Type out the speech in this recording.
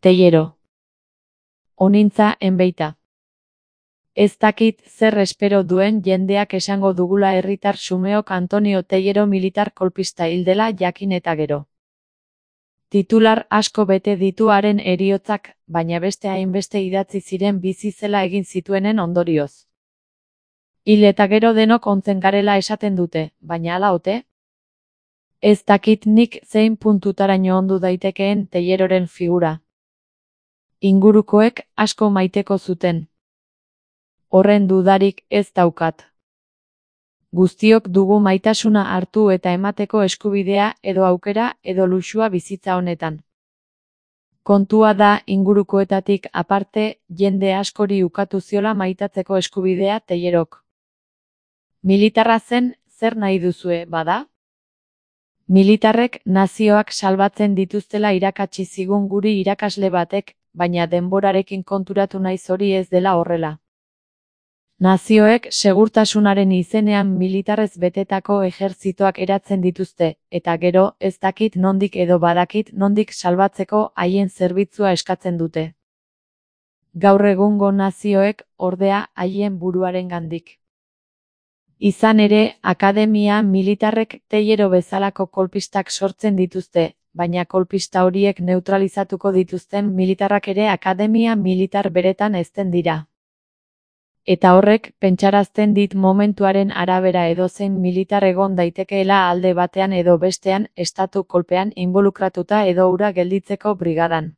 Teiero. Onintza enbeita. Ez dakit zer espero duen jendeak esango dugula herritar xumeok Antonio Teiero militar kolpista hil dela jakin eta gero. Titular asko bete ditu haren heriotzak, baina beste hainbeste idatzi ziren bizi zela egin zituenen ondorioz. Hil eta gero denok ontzen garela esaten dute, baina hala ote? Ez dakit nik zein puntutaraino ondu daitekeen Teieroren figura. Ingurukoek asko maiteko zuten. Horren dudarik ez daukat. Guztiok dugu maitasuna hartu eta emateko eskubidea edo aukera edo luxua bizitza honetan. Kontua da ingurukoetatik aparte jende askori ukatu ziola maitatzeko eskubidea Teierok. Militarra zen, zer nahi duzue, bada? Militarrek nazioak salbatzen dituztela irakatsi zigun guri irakasle batek, baina denborarekin konturatu naiz hori ez dela horrela. Nazioek segurtasunaren izenean militarrez betetako ejertzitoak eratzen dituzte, eta gero ez dakit nondik edo badakit nondik salbatzeko haien zerbitzua eskatzen dute. Gaur egungo nazioek, ordea, haien buruarengandik. Izan ere, akademia militarrek Teiero bezalako kolpistak sortzen dituzte, baina kolpista horiek neutralizatuko dituzten militarrak ere akademia militar beretan hezten dira. Eta horrek pentsarazten dit momentuaren arabera edozein militar egon daitekeela alde batean edo bestean estatu kolpean involukratuta edo hura gelditzeko brigadan.